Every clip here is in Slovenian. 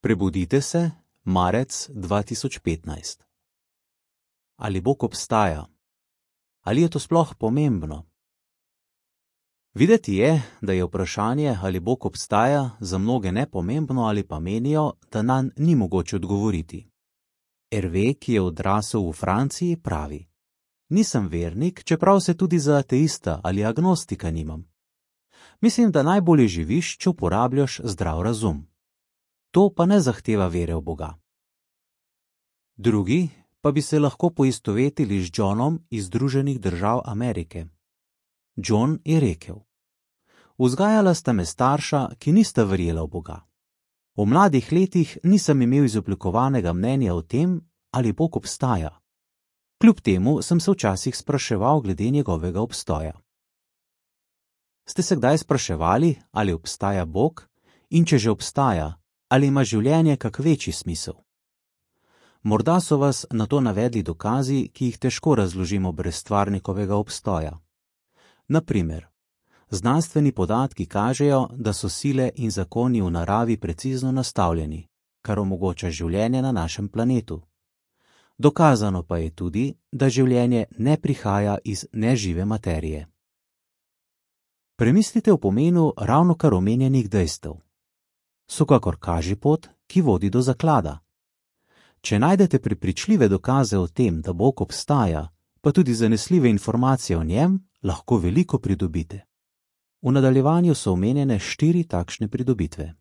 Prebudite se, marec 2015. Ali Bog obstaja? Ali je to sploh pomembno? Videti je, da je vprašanje, ali Bog obstaja, za mnoge nepomembno ali pa menijo, da nanj ni mogoče odgovoriti. Hervé, ki je odrasel v Franciji, pravi: nisem vernik, čeprav se tudi za ateista ali agnostika nimam. Mislim, da najbolje živiš, če uporabljaš zdrav razum. To pa ne zahteva vere v Boga. Drugi pa bi se lahko poistovetili z Johnom iz Združenih držav Amerike. John je rekel: vzgajala sta me starša, ki nista verjela v Boga. V mladih letih nisem imel izoblikovanega mnenja o tem, ali Bog obstaja. Kljub temu sem se včasih spraševal glede njegovega obstoja. Ste se kdaj spraševali, ali obstaja Bog, in če že obstaja, ali ima življenje kak večji smisel? Morda so vas na to navedli dokazi, ki jih težko razložimo brez stvarnikovega obstoja. Na primer, znanstveni podatki kažejo, da so sile in zakoni v naravi precizno nastavljeni, kar omogoča življenje na našem planetu. Dokazano pa je tudi, da življenje ne prihaja iz nežive materije. Premislite o pomenu ravnokar omenjenih dejstev. So kakor kažipot, ki vodi do zaklada. Če najdete prepričljive dokaze o tem, da Bog obstaja, pa tudi zanesljive informacije o njem, lahko veliko pridobite. V nadaljevanju so omenjene 4 takšne pridobitve.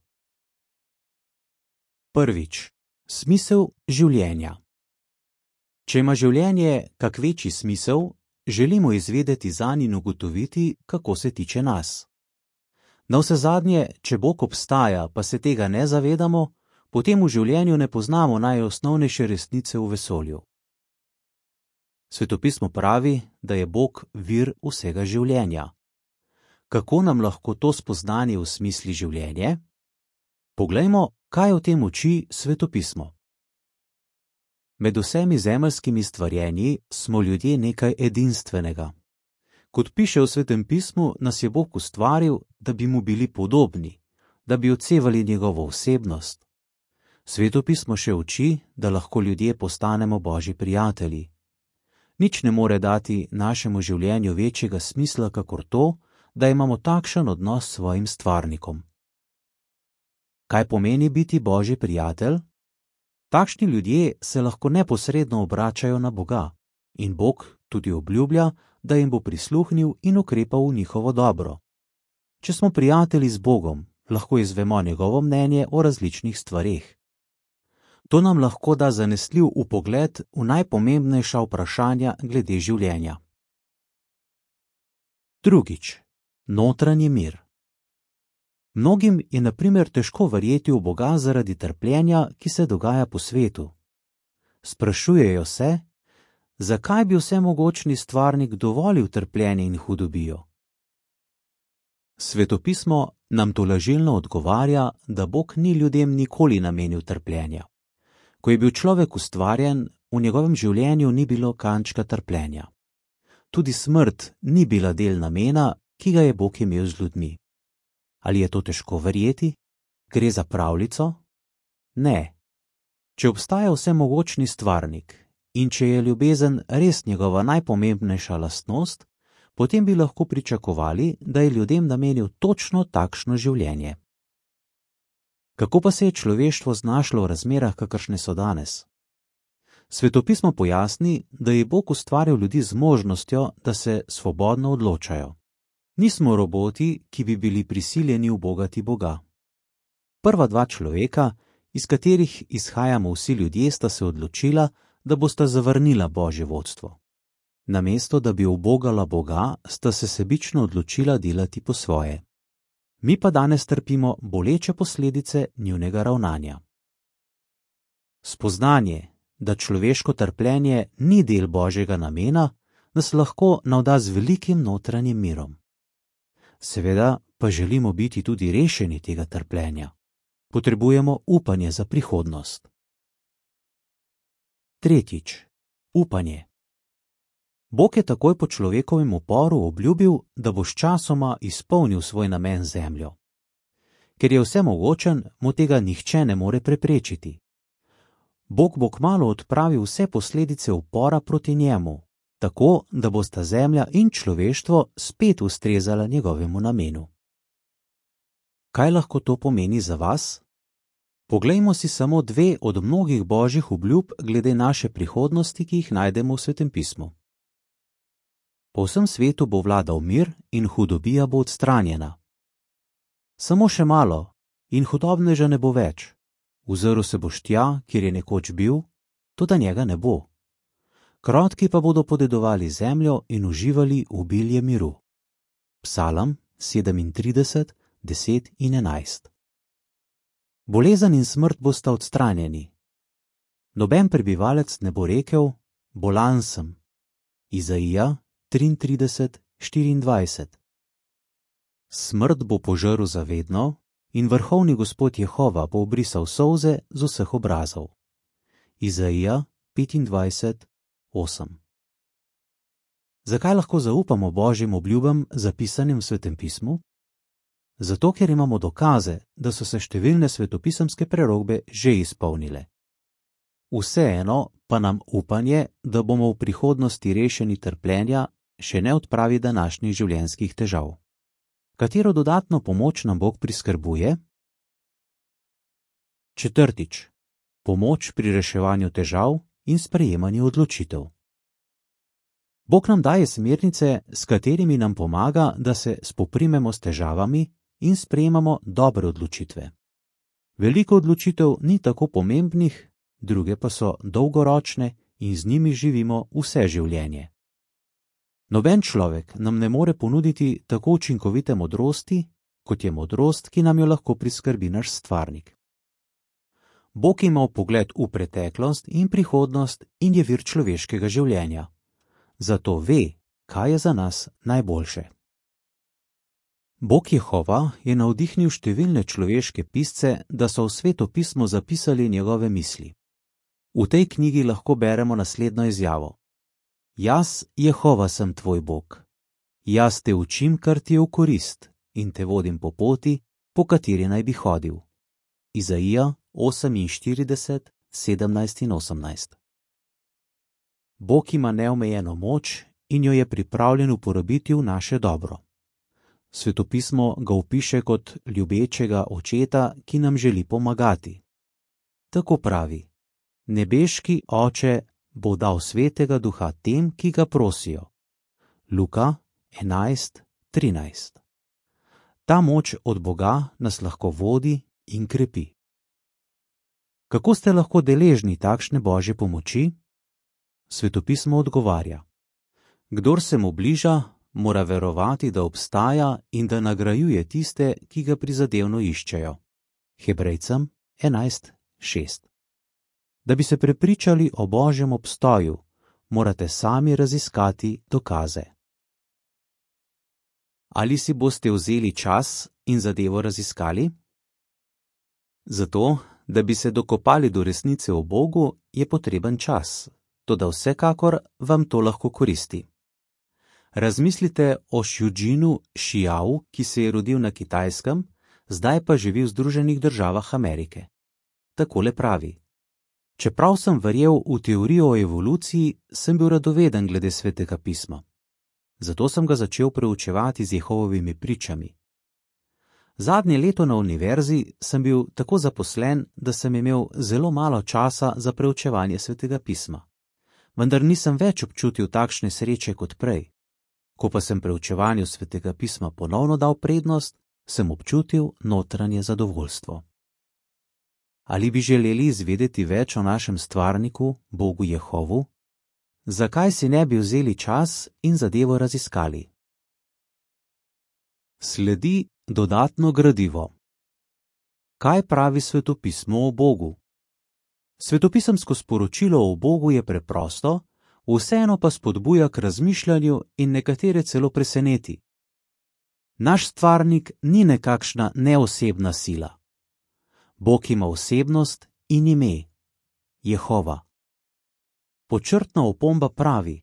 Prvič, smisel življenja. Če ima življenje kak večji smisel, želimo izvedeti zanj in ugotoviti, kako se tiče nas. Navsezadnje, če Bog obstaja, pa se tega ne zavedamo, potem v življenju ne poznamo najosnovnejše resnice v vesolju. Svetopismo pravi, da je Bog vir vsega življenja. Kako nam lahko to spoznanje osmisli življenje? Poglejmo, kaj o tem uči Svetopismo. Med vsemi zemeljskimi stvarjenji smo ljudje nekaj edinstvenega. Kot piše v Svetem pismu, nas je Bog ustvaril, da bi mu bili podobni, da bi odsevali njegovo osebnost. Svetopismo še uči, da lahko ljudje postanemo Božji prijatelji. Nič ne more dati našemu življenju večjega smisla, kakor to, da imamo takšen odnos s svojim stvarnikom. Kaj pomeni biti Božji prijatelj? Takšni ljudje se lahko neposredno obračajo na Boga in Bog tudi obljublja, da jim bo prisluhnil in ukrepal v njihovo dobro. Če smo prijatelji z Bogom, lahko izvemo njegovo mnenje o različnih stvareh. To nam lahko da zanesljiv vpogled v najpomembnejša vprašanja glede življenja. Drugič, notranji mir. Mnogim je na primer težko verjeti v Boga zaradi trpljenja, ki se dogaja po svetu. Sprašujejo se, zakaj bi vsemogočni stvarnik dovolil trpljenje in hudobijo. Svetopismo nam tolažilno odgovarja, da Bog ni ljudem nikoli namenil trpljenja. Ko je bil človek ustvarjen, v njegovem življenju ni bilo kančka trpljenja. Tudi smrt ni bila del namena, ki ga je Bog imel z ljudmi. Ali je to težko verjeti? Gre za pravljico? Ne. Če obstaja vsemogočni stvarnik in če je ljubezen res njegova najpomembnejša lastnost, potem bi lahko pričakovali, da je ljudem namenil točno takšno življenje. Kako pa se je človeštvo znašlo v razmerah, kakršne so danes? Svetopismo pojasni, da je Bog ustvaril ljudi z možnostjo, da se svobodno odločajo. Nismo roboti, ki bi bili prisiljeni ubogati Boga. Prva 2 človeka, iz katerih izhajamo vsi ljudje, sta se odločila, da bosta zavrnila Božje vodstvo. Namesto, da bi ubogala Boga, sta se sebično odločila delati po svoje. Mi pa danes trpimo boleče posledice njunega ravnanja. Spoznanje, da človeško trpljenje ni del Božjega namena, nas lahko navda z velikim notranjim mirom. Seveda pa želimo biti tudi rešeni tega trpljenja. Potrebujemo upanje za prihodnost. Tretjič, upanje. Bog je takoj po človekovem uporu obljubil, da bo sčasoma izpolnil svoj namen z zemljo. Ker je vsemogočen, mu tega nihče ne more preprečiti. Bog bo kmalu odpravil vse posledice upora proti njemu, tako da bosta zemlja in človeštvo spet ustrezala njegovemu namenu. Kaj lahko to pomeni za vas? Poglejmo si samo 2 od mnogih božjih obljub glede naše prihodnosti, ki jih najdemo v Svetem pismu. Po vsem svetu bo vladal mir in hudobija bo odstranjena. Samo še malo in hudobneža ne bo več. Ozrl se boš tja, kjer je nekoč bil, toda njega ne bo. Krotki pa bodo podedovali zemljo in uživali obilje miru. Psalam 37, 10 in 11. Bolezen in smrt bosta odstranjeni. Noben prebivalec ne bo rekel, bolan sem. Izaija 33, 24. Smrt bo požrl zavedno in vrhovni Gospod Jehova bo obrisal solze z vseh obrazov. Izaija 25, 8. Zakaj lahko zaupamo božjim obljubam, zapisanim v Svetem pismu? Zato, ker imamo dokaze, da so se številne svetopisemske prerokbe že izpolnile. Vseeno pa nam upanje, da bomo v prihodnosti rešeni trpljenja, še ne odpravi današnjih življenjskih težav. Katero dodatno pomoč nam Bog priskrbuje? 4. Pomoč pri reševanju težav in sprejemanju odločitev. Bog nam daje smernice, s katerimi nam pomaga, da se spoprimemo s težavami in sprejemamo dobre odločitve. Veliko odločitev ni tako pomembnih, druge pa so dolgoročne in z njimi živimo vse življenje. Noben človek nam ne more ponuditi tako učinkovite modrosti, kot je modrost, ki nam jo lahko priskrbi naš stvarnik. Bog ima vpogled v preteklost in prihodnost in je vir človeškega življenja. Zato ve, kaj je za nas najboljše. Bog Jehova je navdihnil številne človeške pisce, da so v Sveto pismo zapisali njegove misli. V tej knjigi lahko beremo naslednjo izjavo. Jaz, Jehova, sem tvoj Bog. Jaz te učim, kar ti je v korist, in te vodim po poti, po kateri naj bi hodil. Izaija 48, 17 in 18. Bog ima neomejeno moč in jo je pripravljen uporabiti v naše dobro. Svetopismo ga opiše kot ljubečega očeta, ki nam želi pomagati. Tako pravi: Nebeški Oče bo dal svetega duha tem, ki ga prosijo. Luka 11, 13. Ta moč od Boga nas lahko vodi in krepi. Kako ste lahko deležni takšne božje pomoči? Svetopismo odgovarja: Kdor se mu bliža, mora verovati, da obstaja in da nagrajuje tiste, ki ga prizadevno iščejo. Hebrejcem 11, 6. Da bi se prepričali o božjem obstoju, morate sami raziskati dokaze. Ali si boste vzeli čas in zadevo raziskali? Zato, da bi se dokopali do resnice o Bogu, je potreben čas, toda vsekakor vam to lahko koristi. Razmislite o Shujinu Shiao, ki se je rodil na Kitajskem, zdaj pa živi v Združenih državah Amerike. Takole pravi: Čeprav sem verjel v teorijo o evoluciji, sem bil radoveden glede Svetega pisma. Zato sem ga začel preučevati z Jehovovimi pričami. Zadnje leto na univerzi sem bil tako zaposlen, da sem imel zelo malo časa za preučevanje Svetega pisma. Vendar nisem več občutil takšne sreče kot prej. Ko pa sem preučevanju Svetega pisma ponovno dal prednost, sem občutil notranje zadovoljstvo. Ali bi želeli izvedeti več o našem stvarniku, Bogu Jehovu? Zakaj si ne bi vzeli čas in zadevo raziskali? Sledi dodatno gradivo. Kaj pravi Svetopismo o Bogu? Svetopisemsko sporočilo o Bogu je preprosto, vseeno pa spodbuja k razmišljanju in nekatere celo preseneti. Naš stvarnik ni nekakšna neosebna sila. Bog ima osebnost in ime – Jehova. Počrtna opomba pravi: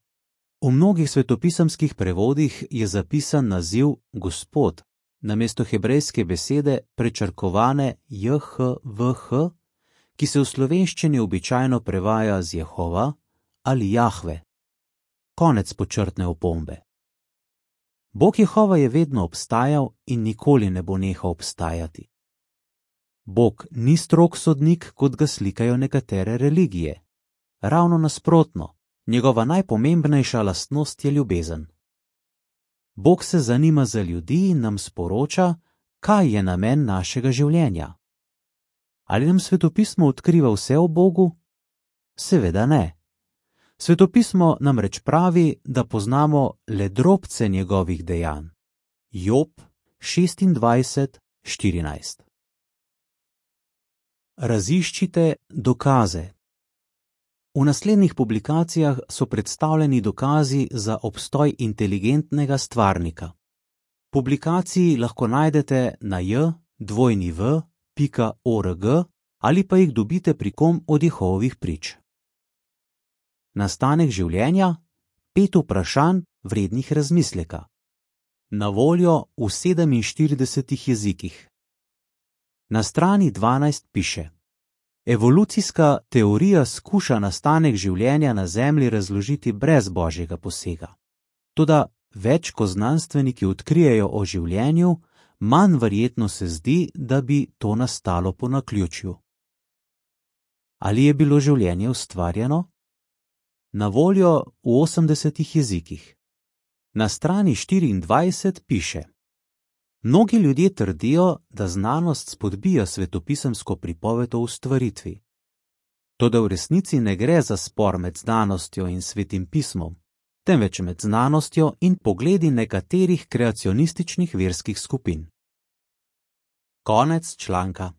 v mnogih svetopisemskih prevodih je zapisan naziv Gospod, namesto hebrejske besede prečrkovane JHVH, ki se v slovenščini običajno prevaja z Jehova ali Jahve. Konec počrtne opombe. Bog Jehova je vedno obstajal in nikoli ne bo nehal obstajati. Bog ni strog sodnik, kot ga slikajo nekatere religije. Ravno nasprotno, njegova najpomembnejša lastnost je ljubezen. Bog se zanima za ljudi in nam sporoča, kaj je namen našega življenja. Ali nam svetopismo odkriva vse o Bogu? Seveda ne. Svetopismo namreč pravi, da poznamo le drobce njegovih dejanj. Job 26:14. Raziščite dokaze. V naslednjih publikacijah so predstavljeni dokazi za obstoj inteligentnega stvarnika. Publikaciji lahko najdete na j2w.org ali pa jih dobite pri kom od Jehovovih prič. Nastanek življenja, 5 vprašanj vrednih razmisleka. Na voljo v 47 jezikih. Na strani 12 piše: Evolucijska teorija skuša nastanek življenja na Zemlji razložiti brez božjega posega. Toda več ko znanstveniki odkrijejo o življenju, manj verjetno se zdi, da bi to nastalo po naključju. Ali je bilo življenje ustvarjeno? Na voljo v 80 jezikih. Na strani 24 piše: Mnogi ljudje trdijo, da znanost spodbija svetopisemsko pripoved o ustvaritvi. Toda v resnici ne gre za spor med znanostjo in svetim pismom, temveč med znanostjo in pogledi nekaterih kreacionističnih verskih skupin. Konec članka.